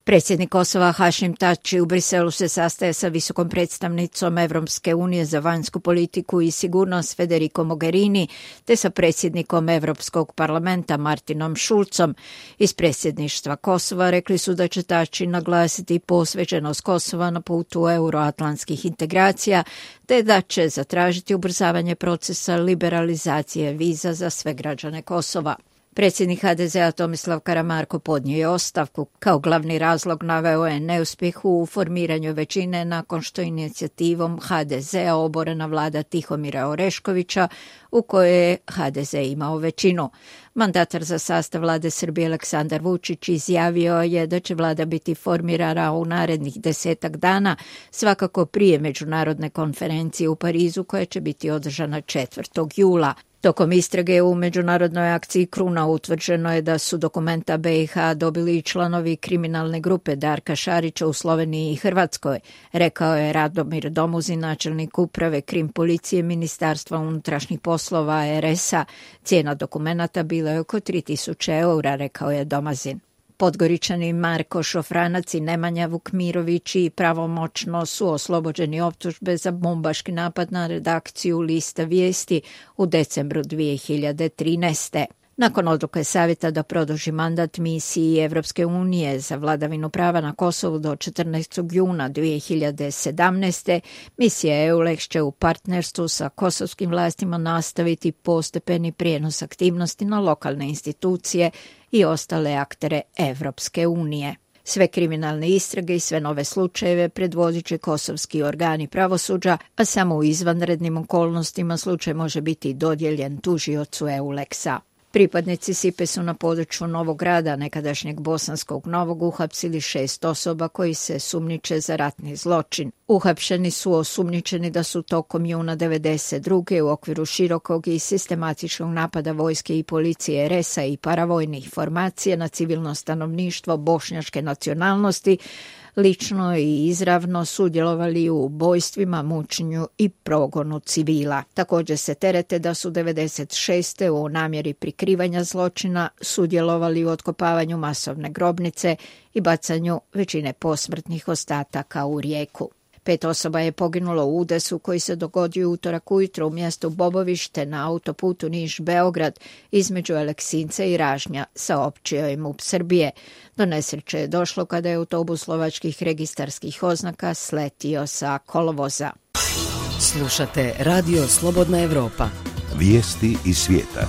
Predsjednik Kosova Hašim Tači u Briselu se sastaje sa visokom predstavnicom Evropske unije za vanjsku politiku i sigurnost Federico Mogherini te sa predsjednikom Europskog parlamenta Martinom Šulcom. Iz predsjedništva Kosova rekli su da će Tači naglasiti posvećenost Kosova na putu euroatlantskih integracija te da će zatražiti ubrzavanje procesa liberalizacije viza za sve građane Kosova. Predsjednik HDZ-a Tomislav Karamarko podnio je ostavku. Kao glavni razlog naveo je neuspjeh u formiranju većine nakon što inicijativom HDZ-a oborena vlada Tihomira Oreškovića u kojoj je HDZ imao većinu. Mandatar za sastav vlade Srbije Aleksandar Vučić izjavio je da će vlada biti formirana u narednih 10 dana, svakako prije međunarodne konferencije u Parizu koja će biti održana 4. jula. Tokom istrage u međunarodnoj akciji Kruna utvrđeno je da su dokumenta BiH dobili i članovi kriminalne grupe Darka Šarića u Sloveniji i Hrvatskoj, rekao je Radomir Domuzin, načelnik uprave Krim policije Ministarstva unutrašnjih poslova RS-a. Cijena dokumenata bila je oko 3000 eura, rekao je Domazin. Podgoričani Marko Šofranac i Nemanja Vukmirović i pravomoćno su oslobođeni optužbe za bombaški napad na redakciju Lista vijesti u decembru 2013. Nakon odluke Savjeta da produži mandat misiji Evropske unije za vladavinu prava na Kosovu do 14. juna 2017. misija EULEX će u partnerstvu sa kosovskim vlastima nastaviti postepeni prijenos aktivnosti na lokalne institucije i ostale aktere Evropske unije. Sve kriminalne istrage i sve nove slučajeve predvodit će kosovski organi pravosuđa, a samo u izvanrednim okolnostima slučaj može biti dodijeljen tužiocu EULEX-a. Pripadnici SIPE su na području Novog Grada, nekadašnjeg Bosanskog Novog, uhapsili 6 osoba koji se sumnjiče za ratni zločin. Uhapšeni su osumnjičeni da su tokom juna 1992. u okviru širokog i sistematičnog napada vojske i policije RS-a i paravojnih formacija na civilno stanovništvo bošnjačke nacionalnosti lično i izravno sudjelovali u ubojstvima, mučenju i progonu civila. Također se terete da su 1996. u namjeri prikrivanja zločina sudjelovali u otkopavanju masovne grobnice i bacanju većine posmrtnih ostataka u rijeku. 5 osoba je poginulo u udesu koji se dogodio utorak ujutro u mjestu Bobovište na autoputu Niš-Beograd između Aleksinca i Ražnja, saopćio je MUP Srbije. Do nesreće je došlo kada je autobus slovačkih registarskih oznaka sletio sa kolovoza. Slušate Radio Slobodna Evropa. Vijesti iz svijeta.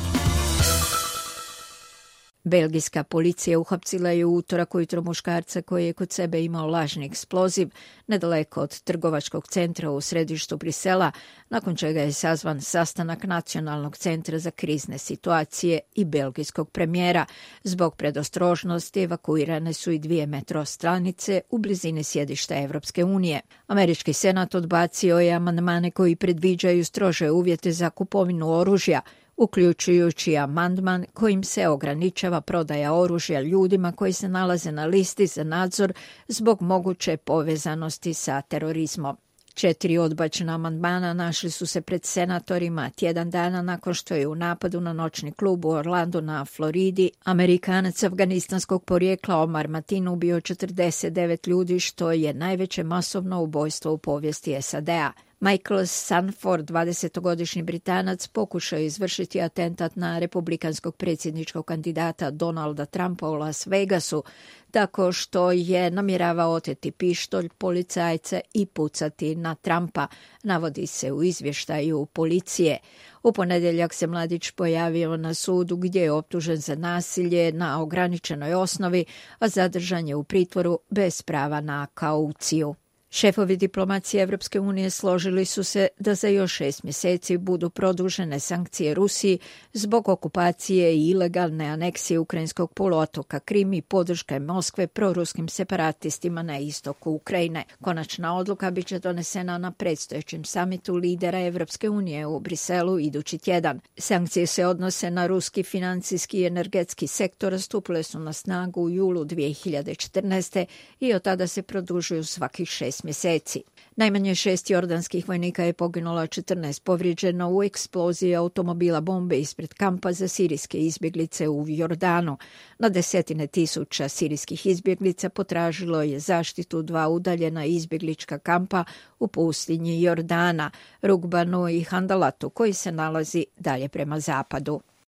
Belgijska policija uhapsila je u utorak ujutro muškarca koji je kod sebe imao lažni eksploziv nedaleko od trgovačkog centra u središtu Brisela, nakon čega je sazvan sastanak Nacionalnog centra za krizne situacije i belgijskog premijera. Zbog predostrožnosti evakuirane su i 2 metro stanice u blizini sjedišta Evropske unije. Američki senat odbacio je amandmane koji predviđaju strože uvjete za kupovinu oružja, uključujući amandman kojim se ograničava prodaja oružja ljudima koji se nalaze na listi za nadzor zbog moguće povezanosti sa terorizmom. 4 odbačena amandmana našli su se pred senatorima tjedan dana nakon što je u napadu na noćni klub u Orlandu na Floridi Amerikanac afganistanskog porijekla Omar Mateen ubio 49 ljudi, što je najveće masovno ubojstvo u povijesti SAD-a. Michael Sanford, 20-godišnji Britanac, pokušao je izvršiti atentat na republikanskog predsjedničkog kandidata Donalda Trumpa u Las Vegasu, tako što je namjeravao oteti pištolj policajca i pucati na Trumpa, navodi se u izvještaju policije. U ponedjeljak se mladić pojavio na sudu gdje je optužen za nasilje na ograničenoj osnovi, a zadržan je u pritvoru bez prava na kauciju. Šefovi diplomacije Evropske unije složili su se da za još 6 mjeseci budu produžene sankcije Rusiji zbog okupacije i ilegalne aneksije ukrajinskog poluotoka Krim i podrške Moskve proruskim separatistima na istoku Ukrajine. Konačna odluka bit će donesena na predstojećem samitu lidera Evropske unije u Briselu idući tjedan. Sankcije se odnose na ruski financijski i energetski sektor, stupile su na snagu u julu 2014. i od tada se produžuju svakih 6 mjeseci. mjeseci. Najmanje 6 jordanskih vojnika je poginulo, 14 povrijeđeno u eksploziji automobila bombe ispred kampa za sirijske izbjeglice u Jordanu. Na desetine tisuća sirijskih izbjeglica potražilo je zaštitu 2 udaljena izbjeglička kampa u pustinji Jordana, Rugbanu i Handalatu, koji se nalazi dalje prema zapadu.